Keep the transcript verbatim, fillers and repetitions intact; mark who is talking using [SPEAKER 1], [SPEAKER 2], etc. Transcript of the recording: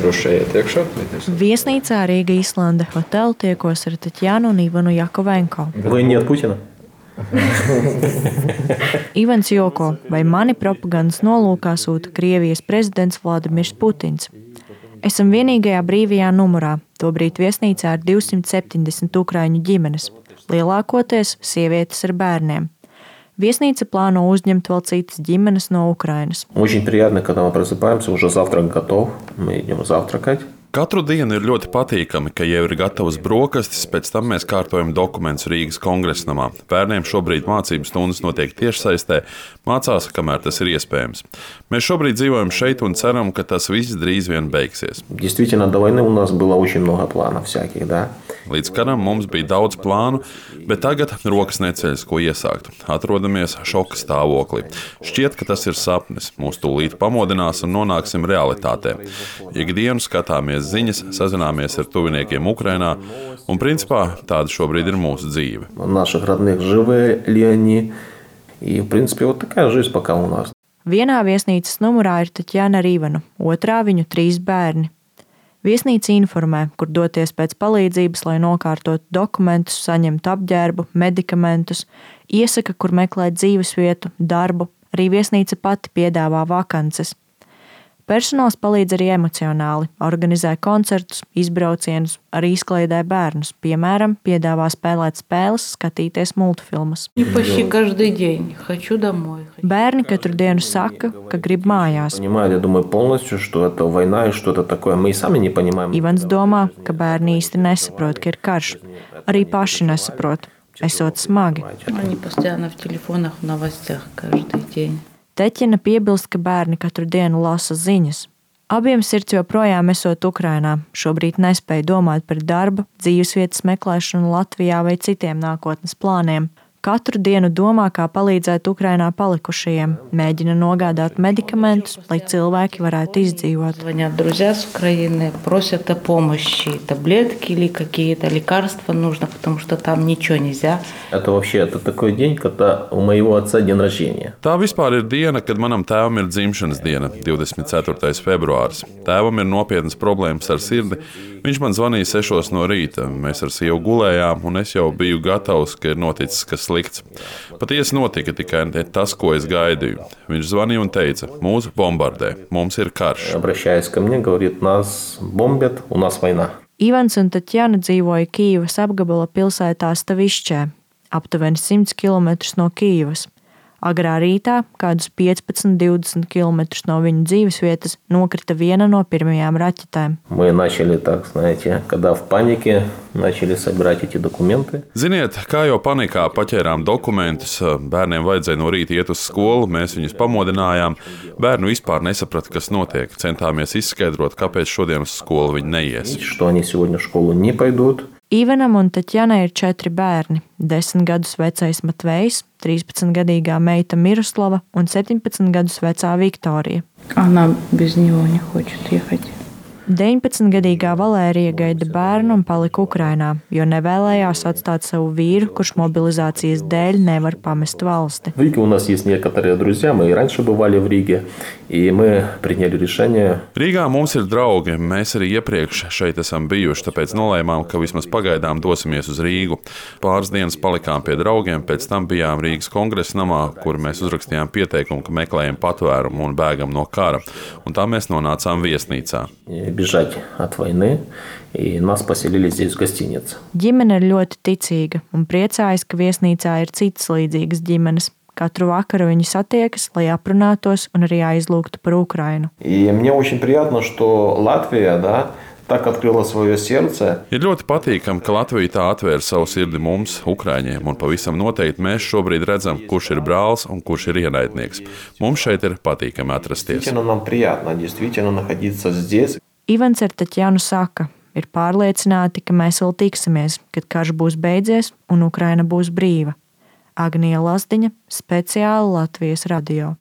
[SPEAKER 1] droši iet iekšā.
[SPEAKER 2] Viesnīcā Rīga Islande Hotel tiekos ar Tatjanu un Ivanu Jakovenko.
[SPEAKER 3] Вы не от Путина?
[SPEAKER 2] Ivans joko, vai mani propagandas nolūkā sūta Krievijas prezidents Vladimirs Putins. Esam vienīgajā brīvajā numurā, tobrīd viesnīcā ar divsimt septiņdesmit ukraiņu ģimenes, lielākoties sievietes ar bērniem. Viesnīca plāno uzņemt vēl citas ģimenes no Ukrainas.
[SPEAKER 3] Очень приятно, когда мы просыпаемся, уже завтрак готов, мы идем завтракать.
[SPEAKER 4] Katru dienu ir ļoti patīkami, ka jau ir gatavas brokastis, pēc tam mēs kārtojam dokumentus Rīgas kongresnamā. Bērniem šobrīd mācību stundas notiek tiešsaistē, mācās, kamēr tas ir iespējams. Mēs šobrīd dzīvojam šeit un ceram, ka tas viss drīz vien beigsies.
[SPEAKER 3] Действительно, до войны у нас было очень много планов всяких, да?
[SPEAKER 4] Līdz karam mums bija daudz plānu, bet tagad rokas neceļas, ko iesākt. Atrodamies šoka stāvoklī. Šķiet, ka tas ir sapnis. Mūs tūlīt pamodinās un nonāksim realitātē. Ikdienu skatāmies ziņas, sazināmies ar tuviniekiem Ukrainā, un principā tāda šobrīd ir mūsu dzīve.
[SPEAKER 3] Наших родных живы ли они? И, в принципе, вот такая жизнь пока у нас.
[SPEAKER 2] Vienā viesnīcas numurā ir Tatjana ar Ivanu, otrā viņu trīs bērni. Viesnīca informē, kur doties pēc palīdzības, lai nokārtotu dokumentus, saņemtu apģērbu, medikamentus, iesaka, kur meklēt dzīvesvietu, darbu, arī viesnīca pati piedāvā vakances. Personāls palīdz arī emocionāli, organizē koncertus, izbraucienus, arī izklaidē bērnus, piemēram, piedāvā spēlēt spēles, skatīties multfilmas. Bērni katru dienu saka, ka grib mājās. Ivans domā, ka bērni īsti nesaprot, ka ir karš. Arī paši nesaprot, esot smagi. Teķina piebilst, ka bērni katru dienu lasa ziņas. Abiem sirds joprojām esot Ukrainā, šobrīd nespēja domāt par darba, dzīvesvietas meklēšanu Latvijā vai citiem nākotnes plāniem. Katru dienu domā, kā palīdzēt Ukrainā palikušajiem, mēģina nogādāt medikamentus, lai cilvēki varētu izdzīvot.
[SPEAKER 4] Tā vispār ir diena, kad manam tēvam ir dzimšanas diena, divdesmit ceturtais februāris. Tēvam ir nopietnas problēmas ar sirdi. Viņš man zvanīja sešos no rīta. Mēs ar sievu gulējām, un es jau biju gatavs, ka ir noticis kas slikts. Patiesi notika tikai ne tas, ko es gaidīju. Viņš zvanīja un teica, mūs bombardē, mums ir karš.
[SPEAKER 2] Ivans un Tatjana dzīvoja Kīivas apgabala pilsētā Stavišķē, aptuveni simts kilometrus no Kīivas. Agrā rītā, kādus piecpadsmit līdz divdesmit kilometrus no viņu dzīvesvietas, nokrita viena no pirmajām raķetēm.
[SPEAKER 4] Ziniet, kā jau panikā paķērām dokumentus, bērniem vajadzēja no rīta iet uz skolu, mēs viņus pamodinājām. Bērnu vispār nesaprata, kas notiek. Centāmies izskaidrot, kāpēc šodien uz skolu viņi neies.
[SPEAKER 2] Ivanam un Tatjanai ir četri bērni – desmit gadus vecais Matvejs, trīspadsmitgadīgā meita Miroslava un septiņpadsmit gadus vecā Viktorija. deviņpadsmitgadīgā Valērija gaida bērnu un palika Ukrainā, jo nevēlējās atstāt savu vīru, kurš mobilizācijas dēļ nevar pamest valsti.
[SPEAKER 4] Rīgā mums ir draugi, mēs arī iepriekš šeit esam bijuši, tāpēc nolēmām, ka vismaz pagaidām dosimies uz Rīgu. Pāris dienas palikām pie draugiem, pēc tam bijām Rīgas kongresa namā, kur mēs uzrakstījām pieteikumu, ka meklējam patvērumu un bēgam no kara, un tā mēs nonācām viesnīcā.
[SPEAKER 3] Бежать от войны, и нас поселили здесь в гостинице.
[SPEAKER 2] Ģimene ir ļoti ticīga un priecājas, ka viesnīcā ir citas līdzīgas ģimenes. Katru vakaru viņi satiekas, lai aprunātos un arī aizlūgtu par Ukrainu.
[SPEAKER 3] И мне очень приятно, что Латвия, да, так открыла свое сердце.
[SPEAKER 4] Ir ļoti patīkami, ka Latvija tā atvēra savu sirdi mums, Ukraiņiem, un pavisam noteikti mēs šobrīd redzam, kurš ir brālis un kurš ir ienaidnieks. Mums šeit ir patīkami atrasties.
[SPEAKER 3] Нам приятно действительно находиться здесь.
[SPEAKER 2] Ivans ar Tatjanu saka, ir pārliecināti, ka mēs vēl tiksimies, kad karš būs beidzies un Ukraina būs brīva. Agnija Lazdiņa, speciāli Latvijas radio.